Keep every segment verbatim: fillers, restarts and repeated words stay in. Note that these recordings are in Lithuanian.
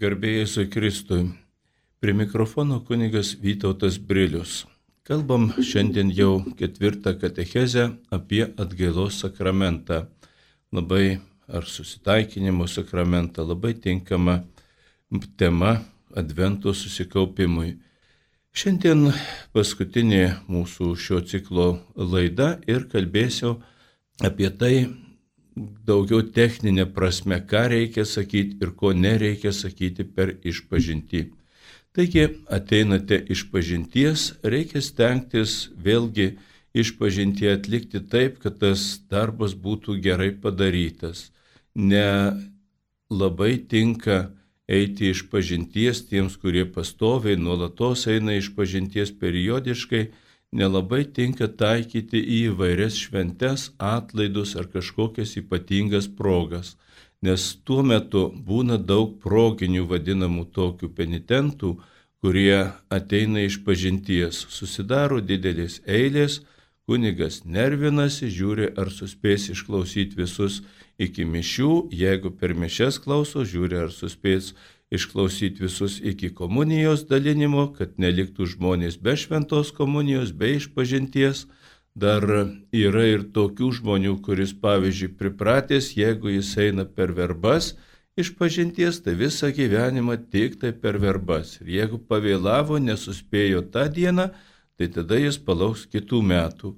Garbė Jėzui Kristui. Prie mikrofono kunigas Vytautas Brilius. Kalbam šiandien jau ketvirtą katechezę apie atgailos sakramentą. Labai ar susitaikinimo sakramentą, labai tinkama tema Advento susikaupimui. Šiandien paskutinė mūsų šio ciklo laida ir kalbėsiu apie tai, daugiau techninė prasme, ką reikia sakyti ir ko nereikia sakyti per išpažintį. Taigi, ateinate išpažinties, reikia stengtis vėlgi išpažintį atlikti taip, kad tas darbas būtų gerai padarytas. Ne labai tinka eiti išpažinties tiems, kurie pastoviai, nuolatos eina išpažinties periodiškai, nelabai tinka taikyti į įvairias šventes, atlaidus ar kažkokias ypatingas progas, nes tuo metu būna daug proginių vadinamų tokių penitentų, kurie ateina išpažinties, susidaro didelės eilės, kunigas nervinasi, žiūri ar suspės išklausyti visus iki mišių, jeigu per mišias klauso, žiūri ar suspės išklausyti visus iki komunijos dalinimo, kad neliktų žmonės be šventos komunijos, be išpažinties. Dar yra ir tokių žmonių, kuris, pavyzdžiui, pripratęs, jeigu jis eina per verbas išpažinties, tai visą gyvenimą tik tai per verbas. Ir jeigu pavėlavo, nesuspėjo tą dieną, tai tada jis palauks kitų metų.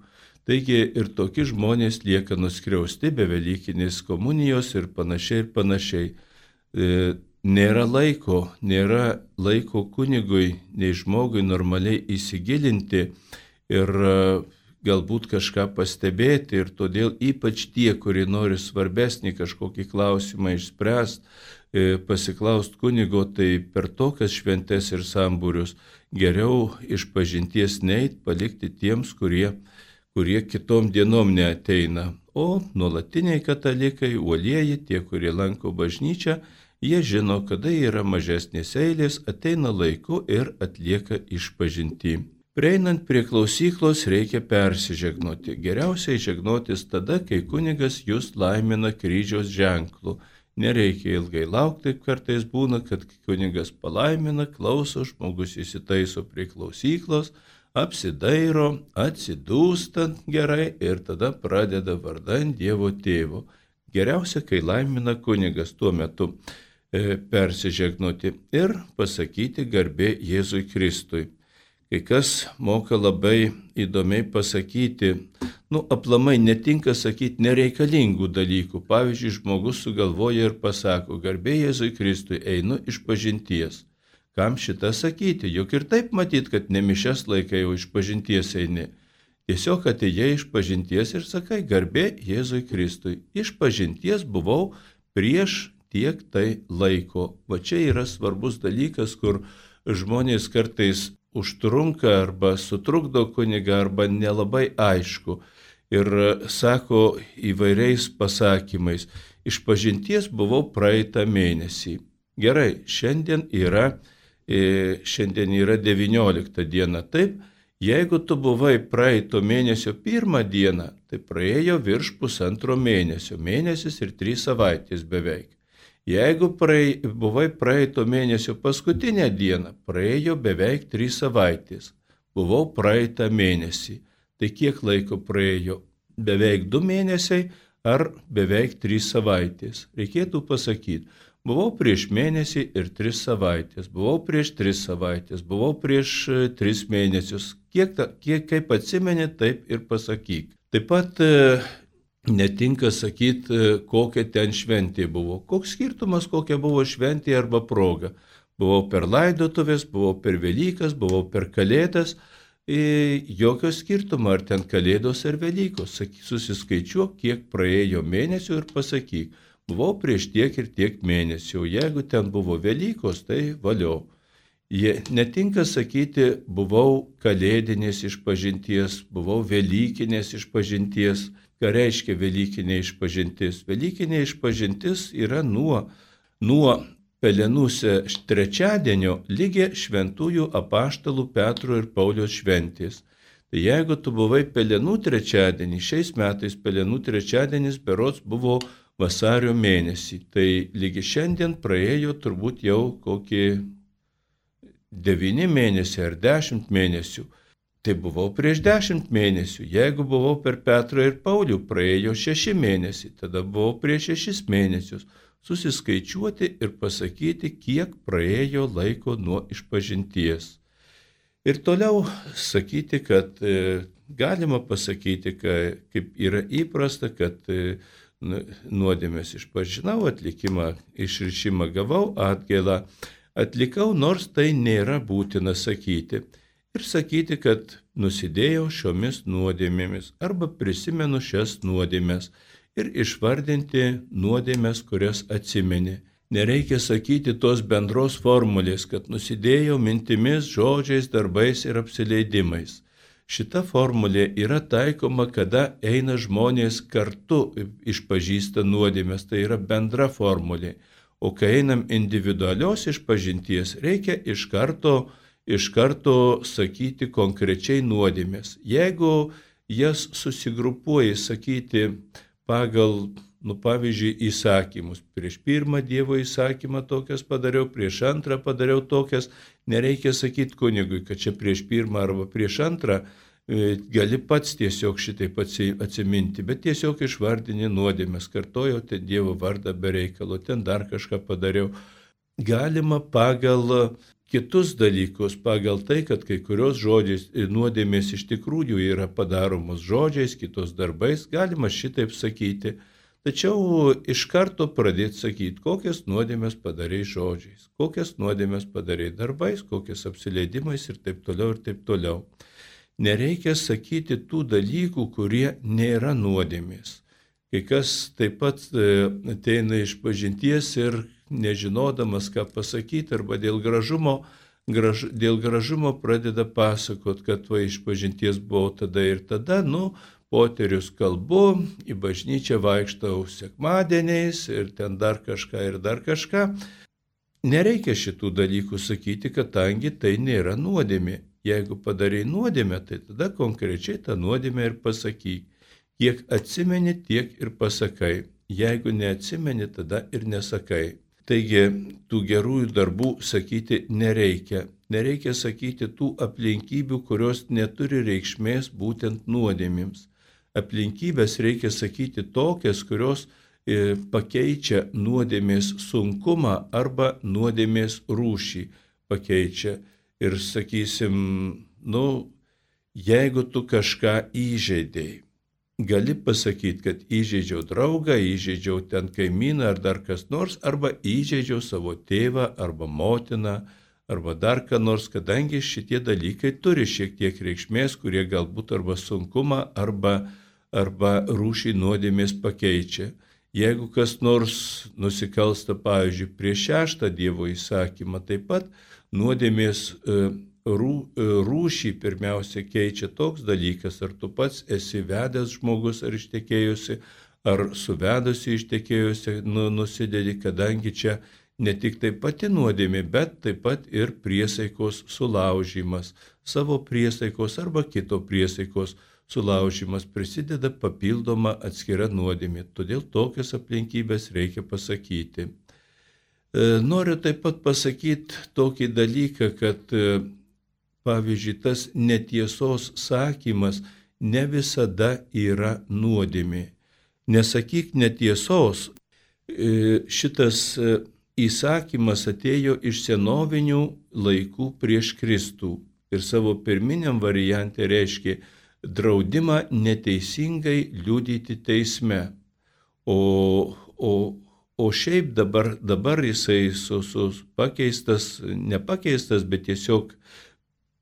Taigi ir tokie žmonės lieka nuskriausti be velykinės komunijos ir panašiai ir panašiai. E, Nėra laiko, nėra laiko kunigui, nei žmogui normaliai įsigilinti ir galbūt kažką pastebėti. Ir todėl ypač tie, kurie nori svarbesnį kažkokį klausimą išspręsti, pasiklausti kunigo, tai per tokias šventes ir sambūrius geriau išpažinties neit, palikti tiems, kurie, kurie kitom dienom neateina. O nuolatiniai katalikai, uolieji, tie, kurie lanko bažnyčią, jie žino, kada yra mažesnės eilės, ateina laiku ir atlieka išpažintį. Prieinant prie klausyklos reikia persižegnoti. Geriausiai žegnotis tada, kai kunigas jūs laimina kryžiaus ženklu. Nereikia ilgai laukti, taip kartais būna, kad kunigas palaimina, klauso, žmogus įsitaiso prie klausyklos, apsidairo, atsidūstant gerai ir tada pradeda vardan Dievo Tėvo. Geriausia, kai laimina kunigas tuo metu persižegnoti ir pasakyti garbė Jėzui Kristui. Kai kas moka labai įdomiai pasakyti, nu, aplamai netinka sakyti nereikalingų dalykų. Pavyzdžiui, žmogus sugalvoja ir pasako, garbė Jėzui Kristui, einu išpažinties. Kam šitą sakyti? Juk ir taip matyt, kad ne mišias laikai, o išpažinties eini. Tiesiog atėjai išpažinties ir sakai, garbė Jėzui Kristui. Išpažinties buvau prieš tiek tai laiko. Va čia yra svarbus dalykas, kur žmonės kartais užtrunka arba sutrukdo kunigą arba nelabai aišku. Ir sako įvairiais pasakymais, išpažinties buvau praeitą mėnesį. Gerai, šiandien yra, šiandien yra devyniolikta diena, taip? Jeigu tu buvai praeito mėnesio pirmą dieną, tai praėjo virš pusantro mėnesio, mėnesis ir trys savaitės beveik. Jeigu praei, buvai praeito mėnesio paskutinę dieną, praėjo beveik trys savaitės. Buvau praeitą mėnesį. Tai kiek laiko praėjo? Beveik du mėnesiai ar beveik trys savaitės? Reikėtų pasakyti, buvau prieš mėnesį ir tris savaitės, buvau prieš tris savaitės, buvau prieš tris mėnesius. Kiek, ta, kiek kaip atsimeni, taip ir pasakyk. Taip pat netinka sakyti, kokia ten šventė buvo. Koks skirtumas, kokia buvo šventė arba proga. Buvau per laidotuvės, buvau per Velykas, buvau per Kalėdas. Jokio skirtumo, ar ten Kalėdos ar Velykos. Susiskaičiuok, kiek praėjo mėnesių ir pasakyk. Buvau prieš tiek ir tiek mėnesių. Jeigu ten buvo Velykos, tai valio. Jie netinka sakyti, buvau kalėdinės išpažinties, buvau velykinės išpažinties. Ką reiškia velykinė išpažintis? Velykinė išpažintis yra nuo, nuo pelenų trečiadienio lygi šventųjų apaštalų Petro ir Pauliaus šventės. Tai jeigu tu buvai pelenų trečiadienį, šiais metais pelenų trečiadienis berods buvo vasario mėnesį. Tai lygi šiandien praėjo turbūt jau kokį devyni mėnesiai ar dešimt mėnesių. Tai buvau prieš dešimt mėnesių. Jeigu buvau per Petrą ir Paulių, praėjo šeši mėnesiai. Tada buvau prieš šešis mėnesius. Susiskaičiuoti ir pasakyti, kiek praėjo laiko nuo išpažinties. Ir toliau sakyti, kad e, galima pasakyti, kad, kaip yra įprasta, kad e, nuodėmės išpažinau, atlikimą, išrišimą gavau, atgailą atlikau, nors tai nėra būtina sakyti. Ir sakyti, kad nusidėjau šiomis nuodėmėmis arba prisimenu šias nuodėmės ir išvardinti nuodėmės, kurias atsimeni. Nereikia sakyti tos bendros formulės, kad nusidėjau mintimis, žodžiais, darbais ir apsileidimais. Šita formulė yra taikoma, kada eina žmonės kartu išpažįsta nuodėmės, tai yra bendra formulė. O kai einam individualios išpažinties, reikia iš karto iš karto sakyti konkrečiai nuodėmės. Jeigu jas susigrupuoji sakyti pagal, nu pavyzdžiui, įsakymus, prieš pirmą Dievo įsakymą tokias padariau, prieš antrą padariau tokias, nereikia sakyti kunigui, kad čia prieš pirmą arba prieš antrą, gali pats tiesiog šitaip atsiminti, bet tiesiog išvardini nuodėmės, kartojau ten Dievo vardą be reikalo, ten dar kažką padariau. Galima pagal kitus dalykus, pagal tai, kad kai kurios žodžiais nuodėmės iš tikrųjų yra padaromos žodžiais, kitos darbais, galima šitaip sakyti. Tačiau iš karto pradėti sakyti, kokias nuodėmės padarai žodžiais, kokias nuodėmės padarai darbais, kokias apsileidimais ir taip toliau ir taip toliau. Nereikia sakyti tų dalykų, kurie nėra nuodėmės. Kai kas taip pat ateina iš pažinties ir nežinodamas, ką pasakyti, arba dėl gražumo, graž, dėl gražumo pradeda pasakot, kad va iš pažinties buvau tada ir tada, nu, poterius kalbu, į bažnyčią vaikštau sekmadieniais ir ten dar kažką ir dar kažką. Nereikia šitų dalykų sakyti, kadangi tai nėra nuodėmė. Jeigu padarai nuodėmę, tai tada konkrečiai tą nuodėmę ir pasakyk. Kiek atsimeni, tiek ir pasakai. Jeigu neatsimeni, tada ir nesakai. Taigi, tų gerųjų darbų sakyti nereikia. Nereikia sakyti tų aplinkybių, kurios neturi reikšmės būtent nuodėmėms. Aplinkybės reikia sakyti tokias, kurios e, pakeičia nuodėmės sunkumą arba nuodėmės rūšį pakeičia. Ir sakysim, nu, jeigu tu kažką įžeidėjai, gali pasakyti, kad įžeidžiau draugą, įžeidžiau ten kaimyną ar dar kas nors, arba įžeidžiau savo tėvą arba motiną, arba dar ką nors, kadangi šitie dalykai turi šiek tiek reikšmės, kurie galbūt arba sunkumą, arba, arba rūšį nuodėmės pakeičia. Jeigu kas nors nusikalsta, pavyzdžiui, prieš šeštą Dievo įsakymą, taip pat nuodėmės rūšį pirmiausia keičia toks dalykas, ar tu pats esi vedęs žmogus ar ištekėjusi, ar suvedusi ištekėjusi nu, nusidedi, kadangi čia ne tik tai pati nuodėmė, bet taip pat ir priesaikos sulaužymas, savo priesaikos arba kito priesaikos sulaužymas prisideda papildoma atskira nuodėmė, todėl tokias aplinkybės reikia pasakyti. Noriu taip pat pasakyti tokį dalyką, kad pavyzdžiui, tas netiesos sakymas ne visada yra nuodėmė. Nesakyk netiesos. Šitas įsakymas atėjo iš senovinių laikų prieš Kristų ir savo pirminiam variante reiškia draudimą neteisingai liudyti teisme. O, o, o šiaip dabar, dabar jisai su, su pakeistas, nepakeistas, bet tiesiog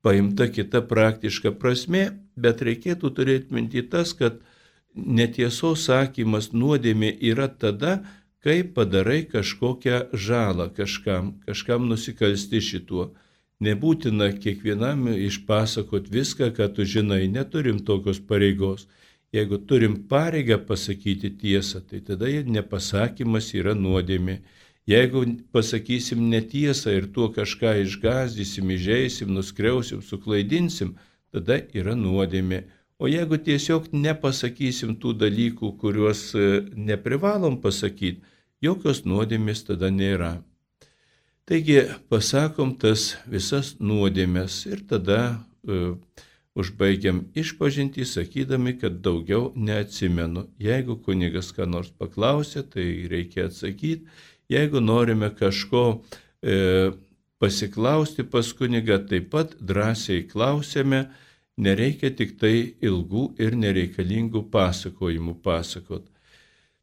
paimta kita praktiška prasmė, bet reikėtų turėti minti tas, kad netiesos sakymas nuodėmė yra tada, kai padarai kažkokią žalą kažkam, kažkam nusikalsti šituo. Nebūtina kiekvienam išpasakot viską, ką tu žinai, neturim tokios pareigos. Jeigu turim pareigą pasakyti tiesą, tai tada nepasakymas yra nuodėmė. Jeigu pasakysim netiesą ir tuo kažką išgąsdysim, įžeisim, nuskriausim, suklaidinsim, tada yra nuodėmė. O jeigu tiesiog nepasakysim tų dalykų, kuriuos neprivalom pasakyti, jokios nuodėmės tada nėra. Taigi pasakom tas visas nuodėmės ir tada uh, užbaigiam išpažintį, sakydami, kad daugiau neatsimenu. Jeigu kunigas ką nors paklausė, tai reikia atsakyti. Jeigu norime kažko e, pasiklausti pas kunigą, taip pat drąsiai klausėme, nereikia tik tai ilgų ir nereikalingų pasakojimų pasakot.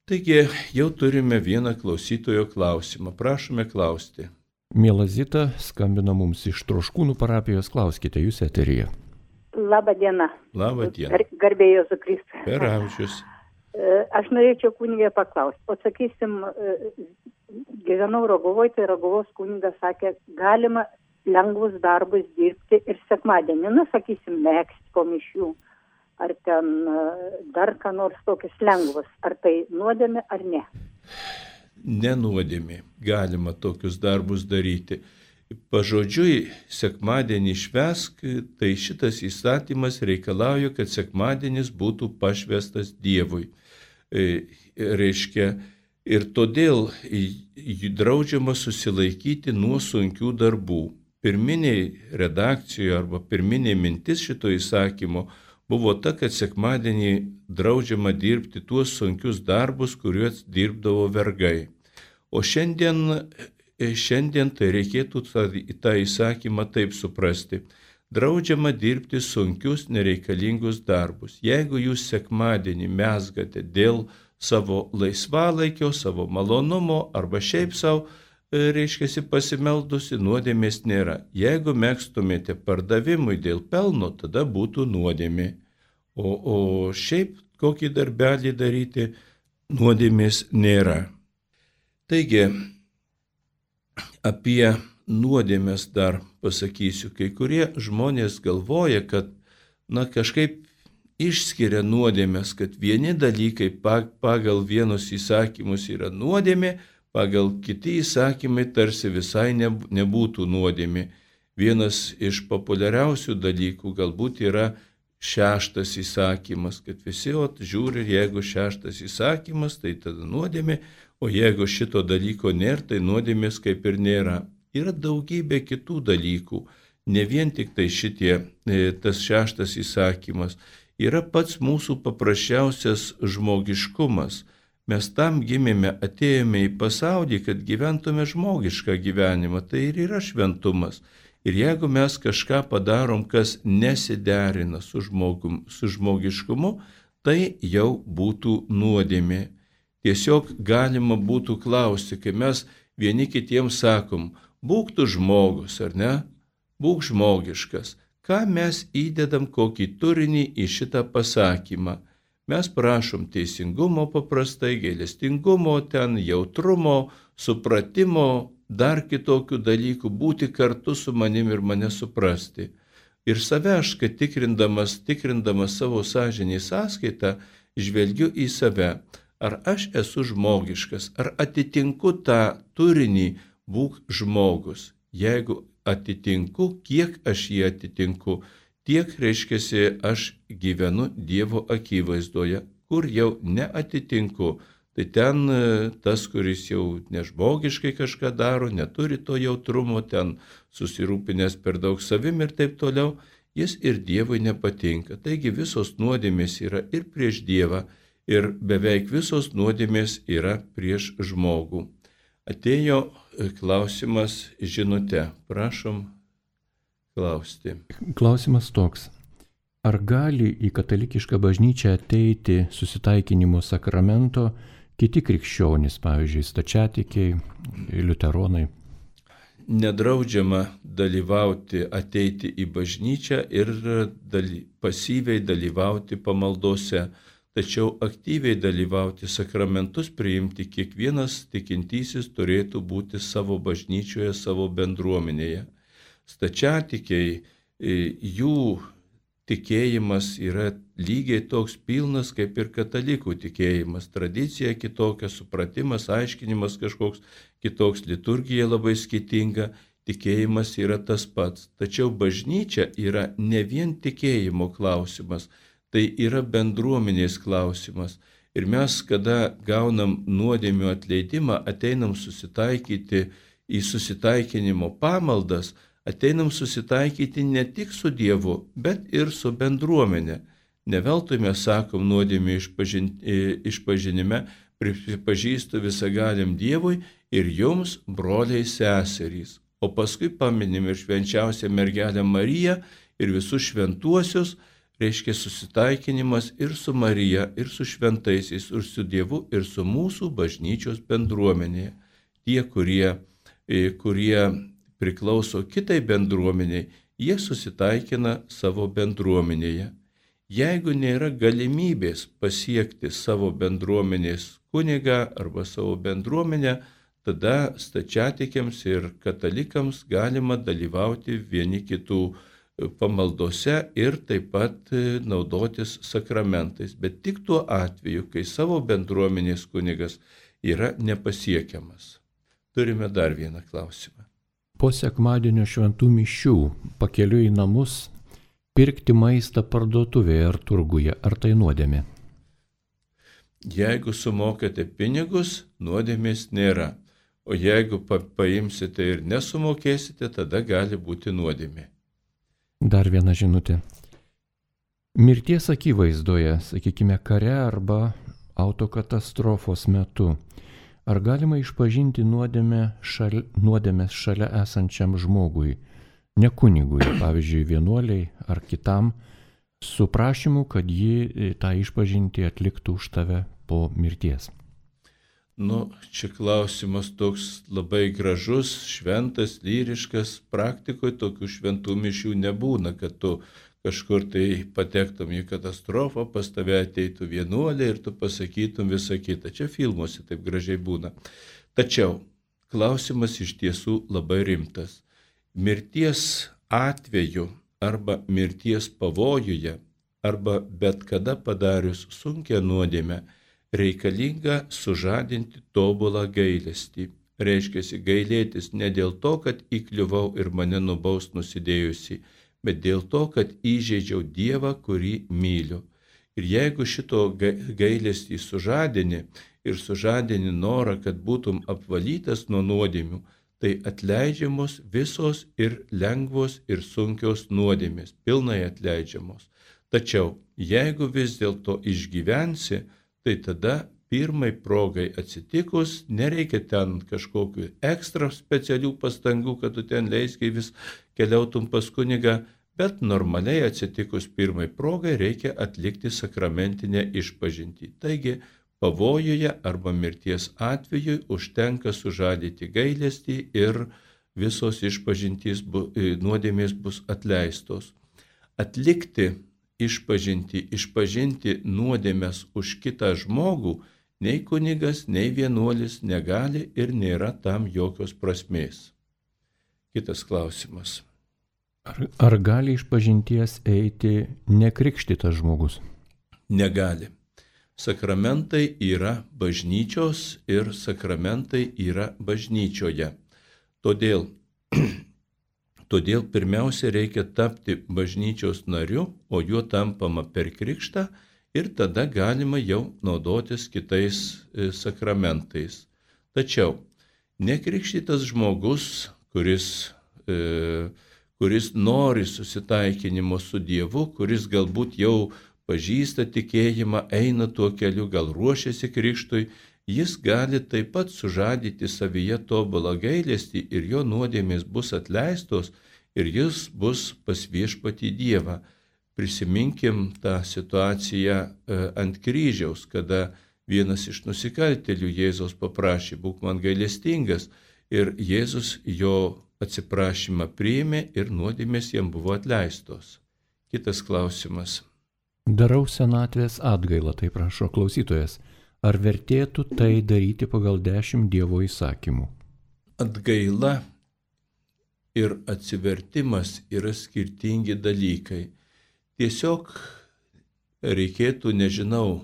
Taigi jau turime vieną klausytojo klausimą. Prašome klausti. Miela Zita, skambina mums iš Troškūnų parapijos, klauskite, jūs eteryje. Labą dieną. Labą dieną. Gar, garbė Jėzų Kristų. Per amžius. Aš norėčiau kunigę paklausti. O sakysim, gyvenau Rogovoje, tai Roguvos kunigas sakė, galima lengvus darbus dirbti ir sekmadienį. Na, sakysim, megzti po mišių. Ar ten dar ką nors tokius lengvus. Ar tai nuodėmė ar ne? Nenuodėmė. Galima tokius darbus daryti. Pažodžiui, sekmadienį švęsk, tai šitas įstatymas reikalauja, kad sekmadienis būtų pašvęstas Dievui. E, reiškia, ir todėl draudžiama susilaikyti nuo sunkių darbų. Pirminiai redakcijoje arba pirminė mintis šito įsakymo buvo ta, kad sekmadienį draudžiama dirbti tuos sunkius darbus, kuriuos dirbdavo vergai. O šiandien Šiandien tai reikėtų tą, tą įsakymą taip suprasti. Draudžiama dirbti sunkius, nereikalingus darbus. Jeigu jūs sekmadienį mezgate dėl savo laisvalaikio, savo malonumo arba šiaip savo, reiškiasi pasimeldusi, nuodėmės nėra. Jeigu megztumėte pardavimui dėl pelno, tada būtų nuodėmė. O, o šiaip kokį darbelį daryti, nuodėmės nėra. Taigi, apie nuodėmės dar pasakysiu. Kai kurie žmonės galvoja, kad na, kažkaip išskiria nuodėmės, kad vieni dalykai pagal vienus įsakymus yra nuodėmė, pagal kiti įsakymai tarsi visai nebūtų nuodėmė. Vienas iš populiariausių dalykų galbūt yra šeštas įsakymas, kad visi ot, žiūri, jeigu šeštas įsakymas, tai tada nuodėmė, o jeigu šito dalyko nėra, tai nuodėmės kaip ir nėra. Yra daugybė kitų dalykų, ne vien tik tai šitie, tas šeštas įsakymas. Yra pats mūsų paprasčiausias žmogiškumas. Mes tam gimėme, atėjome į pasaulį, kad gyventume žmogišką gyvenimą, tai ir yra šventumas. Ir jeigu mes kažką padarom, kas nesiderina su, žmogum, su žmogiškumu, tai jau būtų nuodėmė. Tiesiog galima būtų klausti, kai mes vieni kitiems sakom, būk tu žmogus, ar ne? Būk žmogiškas. Ką mes įdedam kokį turinį į šitą pasakymą? Mes prašom teisingumo paprastai, gailestingumo, ten jautrumo, supratimo, dar kitokių dalykų, būti kartu su manim ir mane suprasti. Ir save aš, kad tikrindamas, tikrindamas savo sąžinį sąskaitą, žvelgiu į save. Ar aš esu žmogiškas, ar atitinku tą turinį, būk žmogus. Jeigu atitinku, kiek aš jį atitinku, tiek reiškiasi aš gyvenu Dievo akivaizdoje, kur jau neatitinku. Tai ten tas, kuris jau nežmogiškai kažką daro, neturi to jautrumo, ten susirūpinęs per daug savim ir taip toliau, jis ir Dievui nepatinka. Taigi visos nuodėmės yra ir prieš Dievą, ir beveik visos nuodėmės yra prieš žmogų. Atėjo klausimas žinute. Prašom klausti. Klausimas toks. Ar gali į katalikišką bažnyčią ateiti susitaikinimo sakramento kiti krikščionys, pavyzdžiui, stačiatikiai, liuteronai? Nedraudžiama dalyvauti, ateiti į bažnyčią ir daly, pasyviai dalyvauti pamaldose. Tačiau aktyviai dalyvauti sakramentus priimti kiekvienas tikintysis turėtų būti savo bažnyčioje, savo bendruomenėje. Stačiatikiai, jų tikėjimas yra lygiai toks pilnas kaip ir katalikų tikėjimas. Tradicija kitokia, supratimas, aiškinimas kažkoks kitoks, liturgija labai skirtinga, tikėjimas yra tas pats. Tačiau bažnyčia yra ne vien tikėjimo klausimas. tai yra bendruomenės klausimas. Ir mes, kada gaunam nuodėmių atleidimą, ateinam susitaikyti į susitaikinimo pamaldas, ateinam susitaikyti ne tik su Dievu, bet ir su bendruomenė. Ne veltui mes sakom nuodėmių išpažin, išpažinime, pripažįstu visagalim Dievui ir jums, broliai seserys. O paskui paminim ir švenčiausią mergelę Mariją ir visus šventuosius, reiškia susitaikinimas ir su Marija, ir su šventaisiais, ir su Dievu, ir su mūsų bažnyčios bendruomenėje. Tie, kurie, kurie priklauso kitai bendruomeniai, jie susitaikina savo bendruomenėje. Jeigu nėra galimybės pasiekti savo bendruomenės kunigą arba savo bendruomenę, tada stačiatikiams ir katalikams galima dalyvauti vieni kitų pamaldose ir taip pat naudotis sakramentais, bet tik tuo atveju, kai savo bendruomenės kunigas yra nepasiekiamas. Turime dar vieną klausimą. Po sekmadienio šventų mišių pakeliui į namus pirkti maistą parduotuvėje ar turguje, ar tai nuodėmė? Jeigu sumokate pinigus, nuodėmės nėra, o jeigu pa- paimsite ir nesumokėsite, tada gali būti nuodėmė. Dar viena žinutė. Mirties akivaizdoje, sakykime, kare arba autokatastrofos metu, ar galima išpažinti nuodėmę šal, nuodėmės šalia esančiam žmogui, ne kunigui, pavyzdžiui, vienuoliai ar kitam, su prašymu, kad ji tą išpažintį atliktų už tave po mirties? Nu, čia klausimas toks labai gražus, šventas, lyriškas, praktikoje tokių šventų mišių nebūna, kad tu kažkur tai patektum į katastrofą, pas tave ateitų vienuolė ir tu pasakytum visą kitą. Čia filmuose taip gražiai būna. Tačiau klausimas iš tiesų labai rimtas. Mirties atveju arba mirties pavojuje arba bet kada padarius sunkią nuodėmę reikalinga sužadinti tobulą gailestį. Reiškiasi gailėtis ne dėl to, kad įkliuvau ir mane nubaus nusidėjusi, bet dėl to, kad įžeidžiau Dievą, kurį myliu. Ir jeigu šito gailestį sužadini ir sužadini norą, kad būtum apvalytas nuo nuodėmių, tai atleidžiamos visos ir lengvos ir sunkios nuodėmės, pilnai atleidžiamos. Tačiau jeigu vis dėlto išgyvensi, tai tada pirmai progai atsitikus, nereikia ten kažkokių ekstra specialių pastangų, kad tu ten leiskiai vis keliautum pas kunigą, bet normaliai atsitikus pirmai progai reikia atlikti sakramentinę išpažintį. Taigi, pavojuje arba mirties atveju užtenka sužadyti gailestį ir visos išpažintys bu, nuodėmės bus atleistos. Atlikti išpažinti, išpažinti nuodėmes už kitą žmogų, nei kunigas, nei vienuolis negali ir nėra tam jokios prasmės. Kitas klausimas. Ar, ar gali išpažinties eiti nekrikštytas žmogus? Negali. Sakramentai yra bažnyčios ir sakramentai yra bažnyčioje. Todėl Todėl pirmiausia reikia tapti bažnyčios nariu, o juo tampama per krikštą ir tada galima jau naudotis kitais sakramentais. Tačiau nekrikštytas žmogus, kuris, e, kuris nori susitaikinimo su Dievu, kuris galbūt jau pažįsta tikėjimą, eina tuo keliu, gal ruošiasi krikštui, jis gali taip pat sužadyti savyje tobulą gailestį ir jo nuodėmės bus atleistos ir jis bus pas viešpatį Dievą. Prisiminkim tą situaciją ant kryžiaus, kada vienas iš nusikaltėlių Jėzaus paprašė, būk man gailestingas, ir Jėzus jo atsiprašymą priėmė ir nuodėmės jam buvo atleistos. Kitas klausimas. Darau senatvės atgailą, tai prašo klausytojas. Ar vertėtų tai daryti pagal dešimt Dievo įsakymų? Atgaila ir atsivertimas yra skirtingi dalykai. Tiesiog reikėtų, nežinau,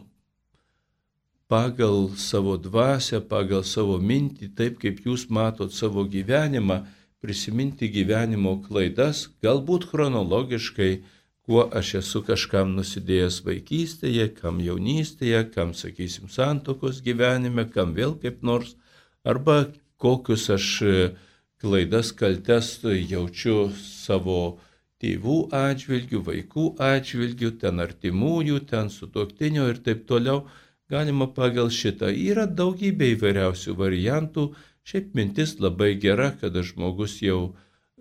pagal savo dvasią, pagal savo mintį, taip kaip jūs matot savo gyvenimą, prisiminti gyvenimo klaidas, galbūt chronologiškai, kuo aš esu kažkam nusidėjęs vaikystėje, kam jaunystėje, kam, sakysim, santuokos gyvenime, kam vėl kaip nors, arba kokius aš klaidas, kaltes jaučiu savo tėvų atžvilgių, vaikų atžvilgių, ten artimųjų, ten sutuoktinio ir taip toliau. Galima pagal šitą. Yra daugybė įvairiausių variantų. Šiaip mintis labai gera, kada žmogus jau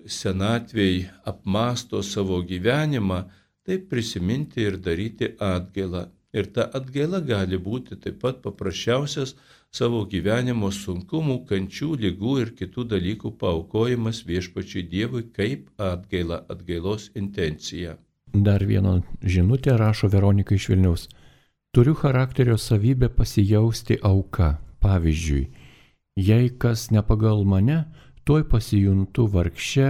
senatvėj apmąsto savo gyvenimą, tai prisiminti ir daryti atgailą. Ir ta atgaila gali būti taip pat paprasčiausias savo gyvenimo sunkumų, kančių, ligų ir kitų dalykų paaukojimas viešpačiui Dievui kaip atgaila, atgailos intencija. Dar vieną žinutę rašo Veronika iš Vilniaus. Turiu charakterio savybę pasijausti auka. Pavyzdžiui, jei kas ne pagal mane, tuoj pasijuntu vargše,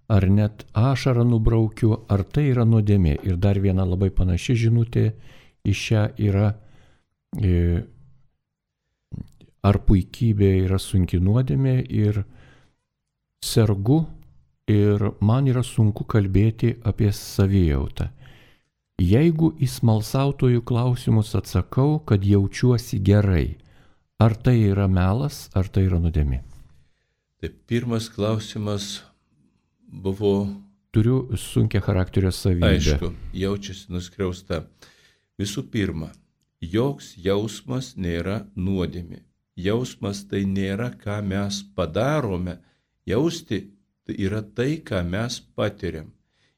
ar net ašarą nubraukiu, ar tai yra nuodėmė. Ir dar viena labai panaši žinutė į šią yra, e, ar puikybė yra sunki nuodėmė ir sergu ir man yra sunku kalbėti apie savijautą. Jeigu į smalsautojų klausimus atsakau, kad jaučiuosi gerai, ar tai yra melas, ar tai yra nuodėmė? Tai pirmas klausimas buvo... Turiu sunkia charakterio savybę. Aišku, jaučiasi nuskriausta. Visų pirma, joks jausmas nėra nuodėmė. Jausmas tai nėra, ką mes padarome. Jausti tai yra tai, ką mes patiriam.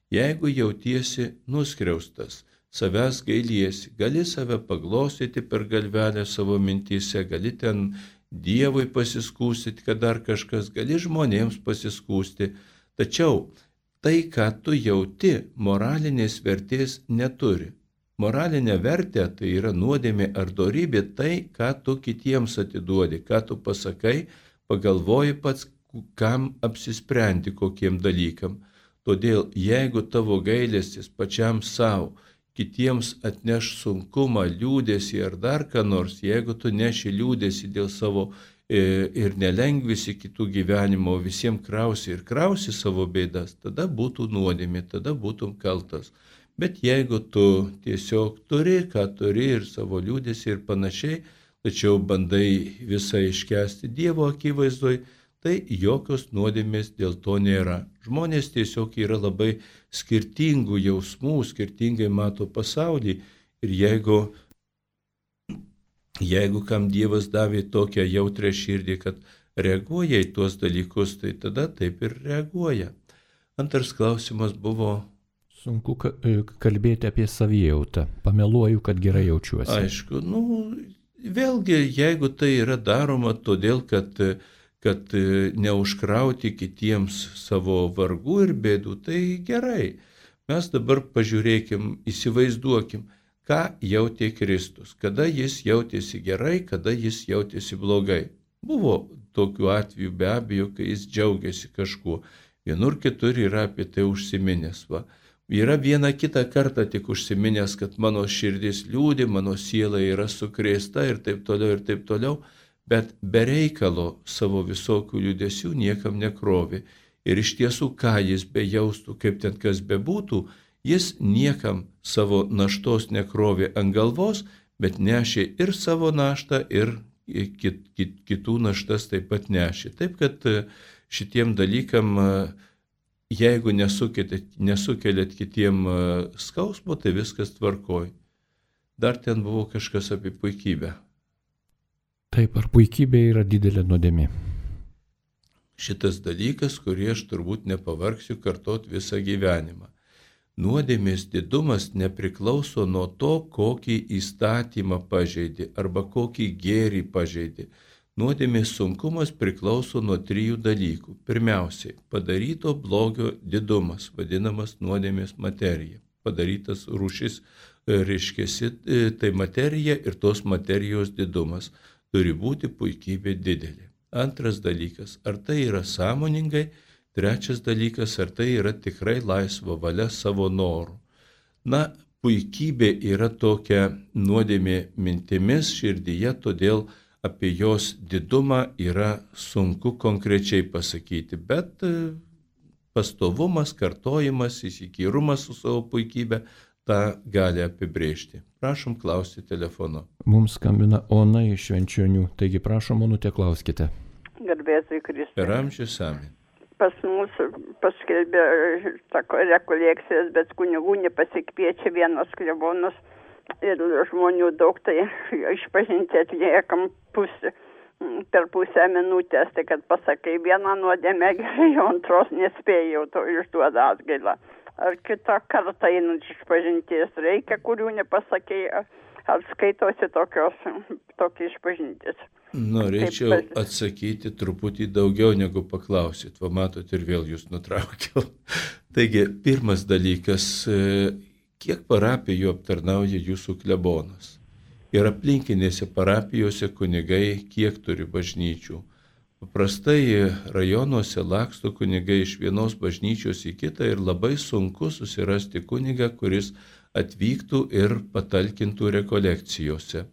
Jeigu jautiesi nuskriaustas, savęs gailiesi, gali save paglostyti per galvelę savo mintyse, gali ten Dievui pasiskūsti, kad dar kažkas, gali žmonėms pasiskūsti. Tačiau tai, ką tu jauti, moralinės vertės neturi. Moralinė vertė tai yra nuodėmė ar dorybė, tai, ką tu kitiems atiduodi, ką tu pasakai, pagalvoji pats, kam apsisprendi kokiem dalykam. Todėl, jeigu tavo gailestis pačiam savo, kitiems atneš sunkumą, liūdėsį ar dar ką nors, jeigu tu neši liūdėsį dėl savo e, ir nelengvisi kitų gyvenimo, visiems krausi ir krausi savo bėdas, tada būtų nuodėmė, tada būtum kaltas. Bet jeigu tu tiesiog turi, ką turi ir savo liūdėsį ir panašiai, tačiau bandai visą iškęsti Dievo akivaizdoj, tai jokios nuodėmės dėl to nėra. Žmonės tiesiog yra labai skirtingų jausmų, skirtingai mato pasaulį ir jeigu, jeigu kam Dievas davė tokią jautrę širdį, kad reaguoja į tuos dalykus, tai tada taip ir reaguoja. Antras klausimas buvo... Sunku kalbėti apie savijautą. Pameluoju, kad gerai jaučiuosi. Aišku, nu, vėlgi, jeigu tai yra daroma todėl, kad kad neužkrauti kitiems savo vargų ir bėdų, tai gerai. Mes dabar pažiūrėkim, įsivaizduokim, ką jautė Kristus, kada jis jautėsi gerai, kada jis jautėsi blogai. Buvo tokių atvejų be abejo, kai jis džiaugiasi kažkuo. Vienur kitur yra apie tai užsiminęs. Va. Yra vieną kitą kartą tik užsiminęs, kad mano širdis liūdi, mano siela yra sukrėsta ir taip toliau ir taip toliau. Bet be reikalo savo visokių liūdesių niekam nekrovė. Ir iš tiesų, ką jis bejaustų, kaip ten kas bebūtų, jis niekam savo naštos nekrovė ant galvos, bet nešė ir savo naštą, ir kit, kit, kitų naštas taip pat nešė. Taip, kad šitiem dalykam, jeigu nesukeliat, nesukeliat kitiem skausmo, tai viskas tvarkoj. Dar ten buvo kažkas apie puikybę. Taip, ar puikybė yra didelė nuodėmė? Šitas dalykas, kurį aš turbūt nepavargsiu kartot visą gyvenimą. Nuodėmės didumas nepriklauso nuo to, kokį įstatymą pažeidė arba kokį gėrį pažeidė. Nuodėmės sunkumas priklauso nuo trijų dalykų. Pirmiausiai, padaryto blogio didumas, vadinamas nuodėmės materija. Padarytas rūšis, reiškiasi, tai materija ir tos materijos didumas. Turi būti puikybė didelė. Antras dalykas, ar tai yra sąmoningai. Trečias dalykas, ar tai yra tikrai laisva valia savo norų. Na, puikybė yra tokia nuodėmė mintimis širdyje, todėl apie jos didumą yra sunku konkrečiai pasakyti, bet pastovumas, kartojimas, įsikyrumas su savo puikybė tą gali apibrėžti. Prašom klausti telefonu. Mums skambina Ona iš Švenčionių, taigi prašom, Onute, klauskite. Garbėsiu Kristui. Per amžius amen. Pas mus paskelbė sako, rekolekcijas, bet kunigų nepasikviečia vienas klebonas ir žmonių daug, tai išpažinti atliekam pusę, per pusę minutės, tai kad pasakai vieną nuodėmę gerai, o antros nespėjau, to išduoda atgailą. Ar kitą kartą einant išpažinties reikia, kurių nepasakei, ar skaitosi tokios, tokia išpažintis? Norėčiau atsakyti truputį daugiau negu paklausit, va matot ir vėl jūs nutraukiau. Taigi, pirmas dalykas, kiek parapijų aptarnauja jūsų klebonas? Ir aplinkinėse parapijose kunigai kiek turi bažnyčių? Paprastai rajonuose laksto kunigai iš vienos bažnyčios į kitą ir labai sunku susirasti kunigą, kuris atvyktų ir patalkintų rekolekcijose.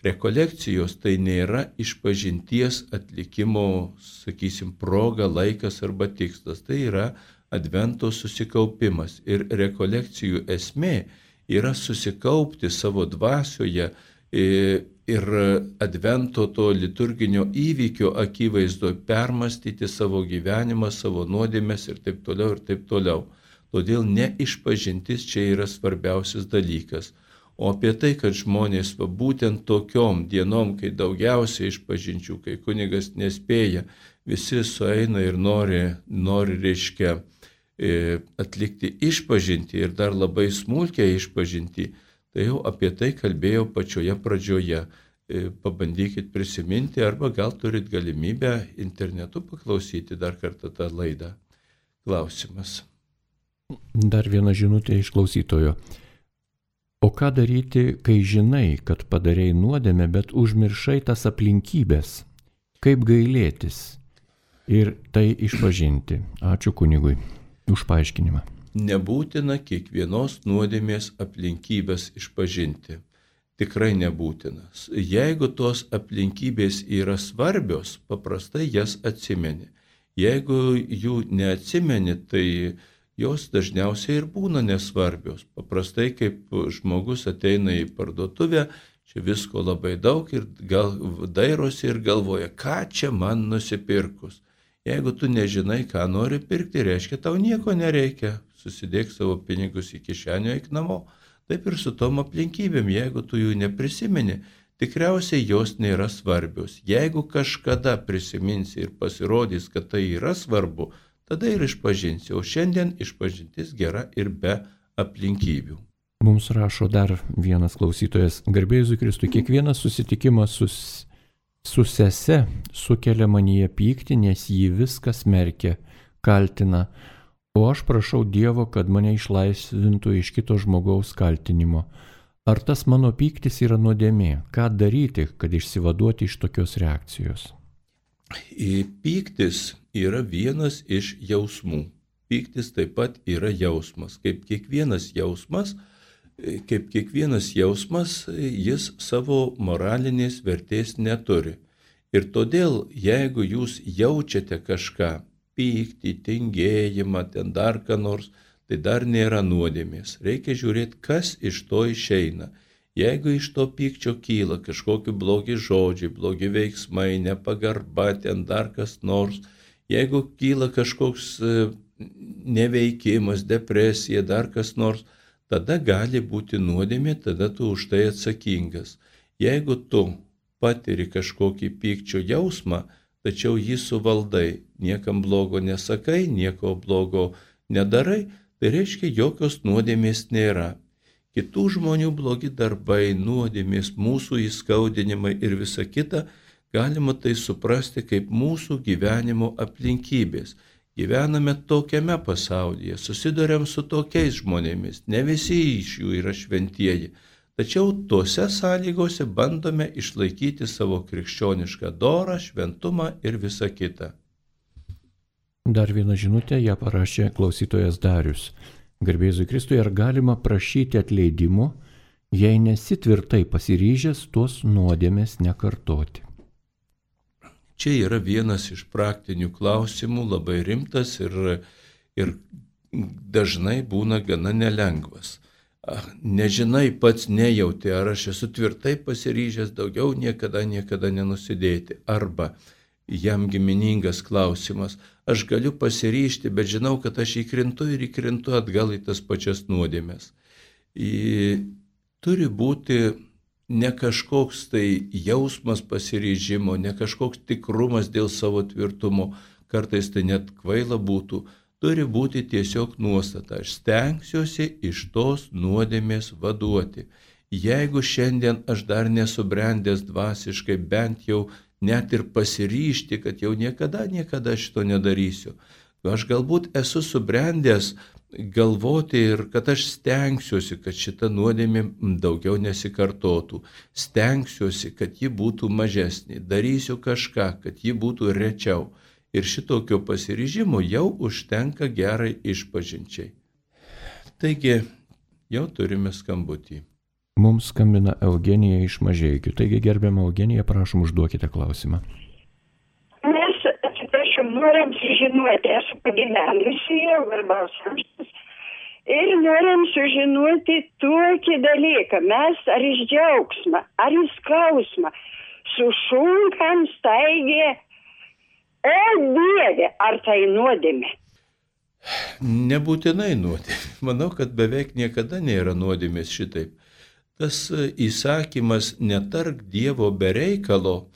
Rekolekcijos tai nėra išpažinties atlikimo, sakysim, proga, laikas arba tikslas. Tai yra advento susikaupimas. Ir rekolekcijų esmė yra susikaupti savo dvasioje ir advento to liturginio įvykio akivaizdoje permastyti savo gyvenimą, savo nuodėmes ir taip toliau ir taip toliau. Todėl ne išpažintis čia yra svarbiausias dalykas. O apie tai, kad žmonės va, būtent tokiom dienom, kai daugiausiai išpažinčių, kai kunigas nespėja, visi sueina ir nori, nori reiškia, atlikti išpažinti ir dar labai smulkiai išpažinti, tai jau apie tai kalbėjau pačioje pradžioje. Pabandykit prisiminti arba gal turit galimybę internetu paklausyti dar kartą tą laidą. Klausimas. Dar viena žinutė iš klausytojo. O ką daryti, kai žinai, kad padarei nuodėmę, bet užmiršai tas aplinkybės? Kaip gailėtis ir tai išpažinti? Ačiū kunigui už paaiškinimą. Nebūtina kiekvienos nuodėmės aplinkybės išpažinti. Tikrai nebūtinas. Jeigu tos aplinkybės yra svarbios, paprastai jas atsimeni. Jeigu jų neatsimeni, tai jos dažniausiai ir būna nesvarbios. Paprastai, kaip žmogus ateina į parduotuvę, čia visko labai daug ir gal dairosi ir galvoja, ką čia man nusipirkus. Jeigu tu nežinai, ką nori pirkti, reiškia, tau nieko nereikia. Susidėk savo pinigus į kišenę, eik namo. Taip ir su tom aplinkybėm, jeigu tu jų neprisimeni, tikriausiai jos nėra svarbios. Jeigu kažkada prisiminsi ir pasirodys, kad tai yra svarbu, tada ir išpažinsi, o šiandien išpažintis gera ir be aplinkybių. Mums rašo dar vienas klausytojas. Garbė Jėzui Kristui, kiekvienas susitikimas su, su sese sukelia manyje pyktį, nes jį viskas smerkia, kaltina, o aš prašau Dievo, kad mane išlaisvintų iš kito žmogaus kaltinimo. Ar tas mano pyktis yra nuodėmė? Ką daryti, kad išsivaduoti iš tokios reakcijos? Pyktis yra vienas iš jausmų. Pyktis taip pat yra jausmas. Kaip kiekvienas jausmas, kaip kiekvienas jausmas, jis savo moralinės vertės neturi. Ir todėl, jeigu jūs jaučiate kažką, pyktį, tingėjimą, ten dar ką nors, tai dar nėra nuodėmės. Reikia žiūrėti, kas iš to išeina. Jeigu iš to pykčio kyla kažkokie blogi žodžiai, blogi veiksmai, nepagarba, ten dar kas nors, jeigu kyla kažkoks neveikimas, depresija, dar kas nors, tada gali būti nuodėmė, tada tu už tai atsakingas. Jeigu tu patiri kažkokį pykčio jausmą, tačiau jį suvaldai, niekam blogo nesakai, nieko blogo nedarai, tai reiškia, jokios nuodėmės nėra. Kitų žmonių blogi darbai, nuodėmės, mūsų įskaudinimai ir visa kita, galima tai suprasti kaip mūsų gyvenimo aplinkybės. Gyvename tokiame pasaulyje, susiduriam su tokiais žmonėmis, ne visi iš jų yra šventieji, tačiau tose sąlygose bandome išlaikyti savo krikščionišką dorą, šventumą ir visa kita. Dar vieną žinutę ją parašė klausytojas Darius. Garbė Jėzui Kristui, ar galima prašyti atleidimo, jei nesi tvirtai pasiryžęs tuos nuodėmės nekartoti? Čia yra vienas iš praktinių klausimų, labai rimtas ir ir dažnai būna gana nelengvas. Nežinai, pats nejauti, ar aš esu tvirtai pasiryžęs daugiau niekada, niekada nenusidėti. Arba jam giminingas klausimas, aš galiu pasiryžti, bet žinau, kad aš įkrintu ir įkrintu atgal į tas pačias nuodėmes. Į, turi būti ne kažkoks tai jausmas pasiryžimo, ne kažkoks tikrumas dėl savo tvirtumo, kartais tai net kvaila būtų. Turi būti tiesiog nuostata, aš stengsiuosi iš tos nuodėmės vaduoti. Jeigu šiandien aš dar nesubrendęs dvasiškai, bent jau net ir pasiryžti, kad jau niekada, niekada šito nedarysiu. Aš galbūt esu subrendęs galvoti ir kad aš stengsiuosi, kad šita nuodėmė daugiau nesikartotų. Stengsiuosi, kad ji būtų mažesnė. Darysiu kažką, kad ji būtų rečiau. Ir šitokio pasiryžimo jau užtenka gerai išpažinčiai. Taigi, jau turime skambutį. Mums skambina Eugenija iš Mažeikių. Taigi, gerbiama Eugenija, prašom, užduokite klausimą. Mes, atsiprašau, norim sužinoti, esu pagyvenusi jau Garbaus amžiaus, ir norim sužinoti tokį dalyką. Mes ar iš džiaugsmą, ar iš skausmą, sušunkam staigė, o Dieve, ar tai nuodėmė? Nebūtinai nuodėmė. Manau, kad beveik niekada nėra nuodėmės šitaip. Tas įsakymas netark Dievo be reikalo,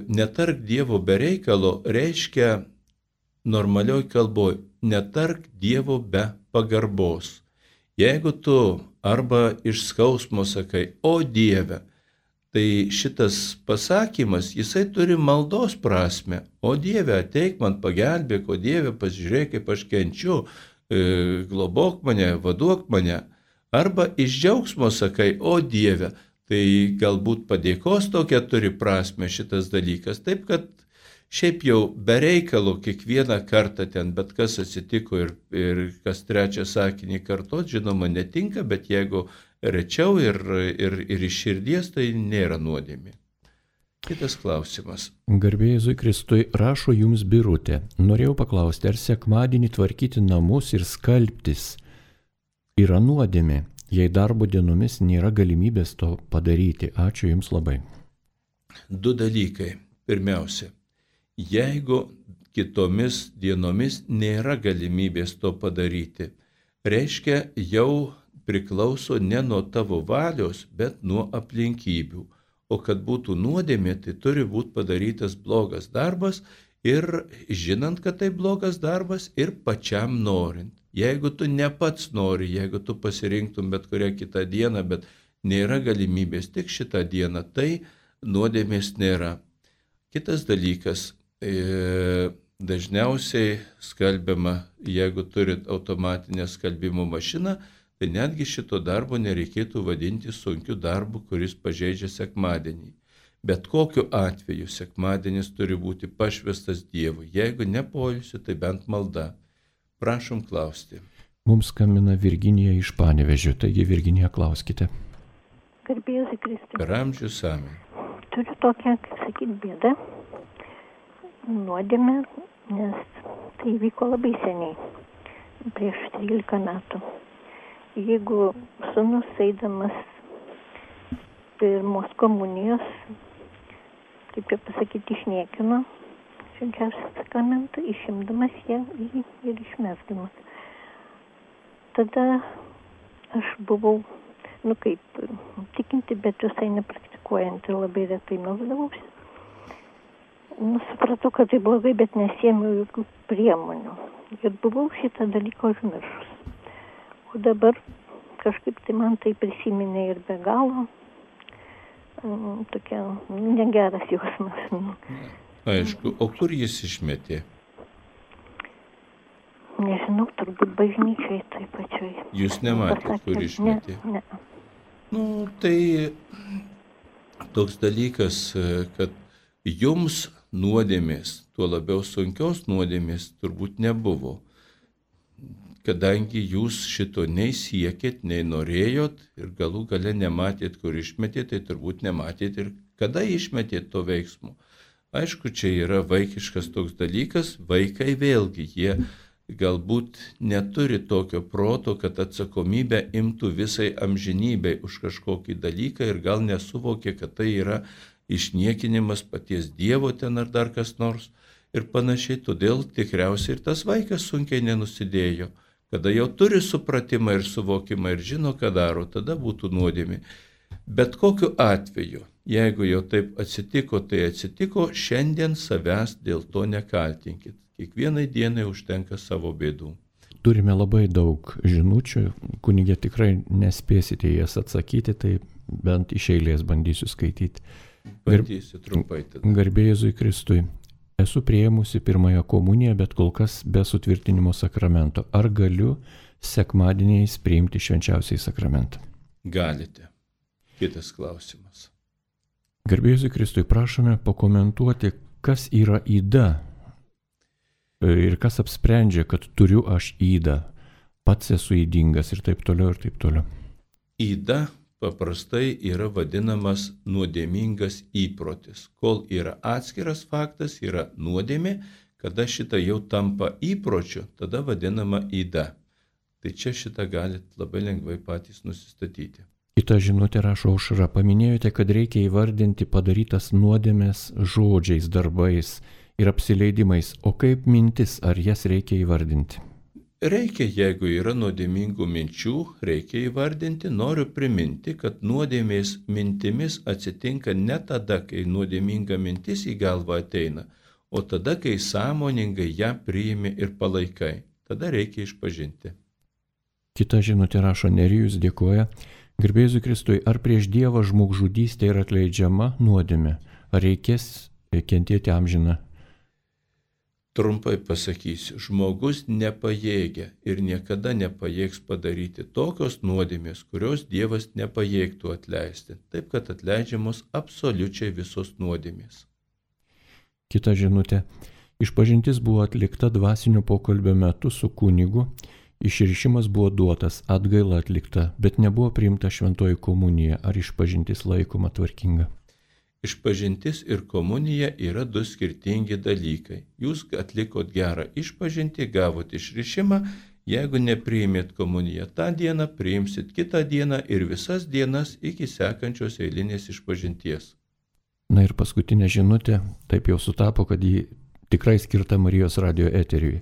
netark Dievo be reikalo reiškia normalioj kalboj, netark Dievo be pagarbos. Jeigu tu arba iš skausmo sakai, o Dieve, tai šitas pasakymas, jisai turi maldos prasme. O Dieve, ateik man pagelbėk, o Dieve, pasižiūrėk, kaip aš kenčiu, e, globok mane, vaduok mane. Arba iš džiaugsmo sakai, o Dieve, tai galbūt padėkos tokia turi prasme šitas dalykas. Taip, kad šiaip jau be reikalo kiekvieną kartą ten bet kas atsitiko ir, ir kas trečią sakinį kartot, žinoma, netinka, bet jeigu rečiau ir, ir, ir iš širdies, tai nėra nuodėmė. Kitas klausimas. Garbė Jėzui Kristui, rašo jums Birutė. Norėjau paklausti, ar sekmadienį tvarkyti namus ir skalbtis yra nuodėmė, jei darbo dienomis nėra galimybės to padaryti. Ačiū jums labai. Du dalykai. Pirmiausia, jeigu kitomis dienomis nėra galimybės to padaryti, reiškia jau priklauso ne nuo tavo valios, bet nuo aplinkybių. O kad būtų nuodėmė, tai turi būti padarytas blogas darbas ir žinant, kad tai blogas darbas ir pačiam norint. Jeigu tu ne pats nori, jeigu tu pasirinktum bet kurią kitą dieną, bet nėra galimybės tik šitą dieną, tai nuodėmės nėra. Kitas dalykas, e, dažniausiai skalbiama, jeigu turit automatinę skalbimo mašiną, tai netgi šito darbo nereikėtų vadinti sunkiu darbu, kuris pažeidžia sekmadienį. Bet kokiu atveju sekmadienis turi būti pašvestas Dievui. Jeigu ne poilsiu, tai bent malda. Prašom klausti. Mums skambina Virginija iš Panevėžio. Taigi, Virginija, klauskite. Garbė Jėzui Kristui. Per amžius amen. Turiu tokią, kaip sakyti, bėdą, nuodėmę, nes tai vyko labai seniai, prieš trylika metų. Jeigu sūnus eidamas pirmos komunijos, kaip jau pasakyti, išniekino švenčiausią sakramentą, išimdamas ją ir išmesdamas. Tada aš buvau, nu kaip, tikinti, bet visai nepraktikuojanti, labai retai melsdavausi. Nu, supratau, kad tai blogai, bet nesėmiau jokių priemonių. Ir buvau šitą dalyką užmiršus. O dabar kažkaip tai man tai prisiminė ir be galo, um, tokia negeras jausmas. Aišku, o kur jis išmetė? Nežinau, turbūt bažnyčiai taip pačioj. Jūs nematėte, kur išmetė? Ne, ne. Nu, tai toks dalykas, kad jums nuodėmės, tuo labiau sunkios nuodėmės, turbūt nebuvo. Kadangi jūs šito nei siekėt, nei norėjot ir galų gale nematėt, kur išmetėt, tai turbūt nematėt ir kada išmetėt to veiksmo. Aišku, čia yra vaikiškas toks dalykas, vaikai vėlgi, jie galbūt neturi tokio proto, kad atsakomybę imtų visai amžinybei už kažkokį dalyką ir gal nesuvokė, kad tai yra išniekinimas paties Dievo ten ar dar kas nors ir panašiai. Todėl tikriausiai ir tas vaikas sunkiai nenusidėjo. Kada jau turi supratimą ir suvokimą ir žino, ką daro, tada būtų nuodėmė. Bet kokiu atveju, jeigu jau taip atsitiko, tai atsitiko, šiandien savęs dėl to nekaltinkit. Kiekvienai dienai užtenka savo bėdų. Turime labai daug žinučių, kunigė tikrai nespėsite jas atsakyti, tai bent iš eilės bandysiu skaityti. Bandysiu trumpai tada. Garbė Jėzui Kristui. Esu priėmusi pirmąją komuniją, bet kol kas be sutvirtinimo sakramento. Ar galiu sekmadieniais priimti švenčiausiai sakramentą? Galite. Kitas klausimas. Garbė Jėzui Kristui, prašome pakomentuoti, kas yra yda ir kas apsprendžia, kad turiu aš ydą, pats esu ydingas ir taip toliau ir taip toliau. Yda paprastai yra vadinamas nuodėmingas įprotis. Kol yra atskiras faktas, yra nuodėmė, kada šitą jau tampa įpročiu, tada vadinama yda. Tai čia šitą galit labai lengvai patys nusistatyti. Kita žinutė rašo Aušra, paminėjote, kad reikia įvardinti padarytas nuodėmės žodžiais, darbais ir apsileidimais, o kaip mintis, ar jas reikia įvardinti? Reikia, jeigu yra nuodėmingų minčių, reikia įvardinti. Noriu priminti, kad nuodėmės mintimis atsitinka ne tada, kai nuodėminga mintis į galvą ateina, o tada, kai sąmoningai ją priimi ir palaikai. Tada reikia išpažinti. Kita žinutė rašo Nerijus, dėkoja. Garbė Jėzui Kristui, ar prieš Dievą žmogžudystė yra atleidžiama nuodėmė? Ar reikės kentėti amžiną? Trumpai pasakysiu, žmogus nepajėgia ir niekada nepajėgs padaryti tokios nuodėmės, kurios Dievas nepajėgtų atleisti. Taip, kad atleidžiamos absoliučiai visos nuodėmės. Kita žinutė. Išpažintis buvo atlikta dvasinio pokalbio metu su kunigu. Išrišimas buvo duotas, atgaila atlikta, bet nebuvo priimta šventoji komunija. Ar išpažintis laikoma tvarkinga? Išpažintis ir komunija yra du skirtingi dalykai. Jūs atlikot gerą išpažintį, gavot išrišimą, jeigu nepriimėt komuniją tą dieną, priimsit kitą dieną ir visas dienas iki sekančios eilinės išpažinties. Na ir paskutinė žinutė, taip jau sutapo, kad ji tikrai skirta Marijos radijo eteriui.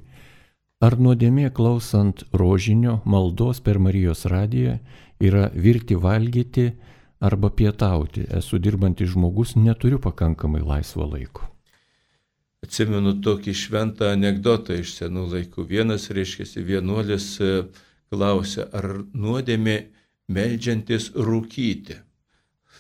Ar nuodėmė klausant rožinio maldos per Marijos radiją yra virti valgyti arba pietauti? Esu dirbantis žmogus, neturiu pakankamai laisvo laiko. Atsimenu tokį šventą anekdotą iš senų laikų. Vienas, reiškiasi, vienuolis klausė, ar nuodėmė meldžiantis rūkyti.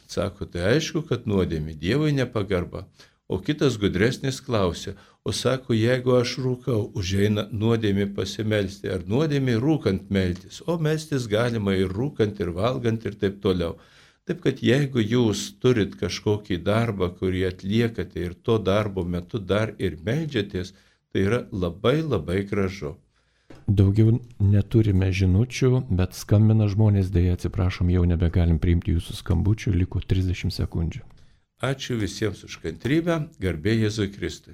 Sako, tai aišku, kad nuodėmė, Dievui nepagarba. O kitas gudresnis klausė, o sako, jeigu aš rūkau, užeina nuodėmė pasimelsti, ar nuodėmė rūkant meltis, o melstis galima ir rūkant, ir valgant, ir taip toliau. Taip, kad jeigu jūs turit kažkokį darbą, kurį atliekate ir to darbo metu dar ir meldžiatės, tai yra labai labai gražu. Daugiau neturime žinučių, bet skambina žmonės, dėja atsiprašom, jau nebegalim priimti jūsų skambučių, liko trisdešimt sekundžių. Ačiū visiems už kantrybę, garbė Jėzui Kristui.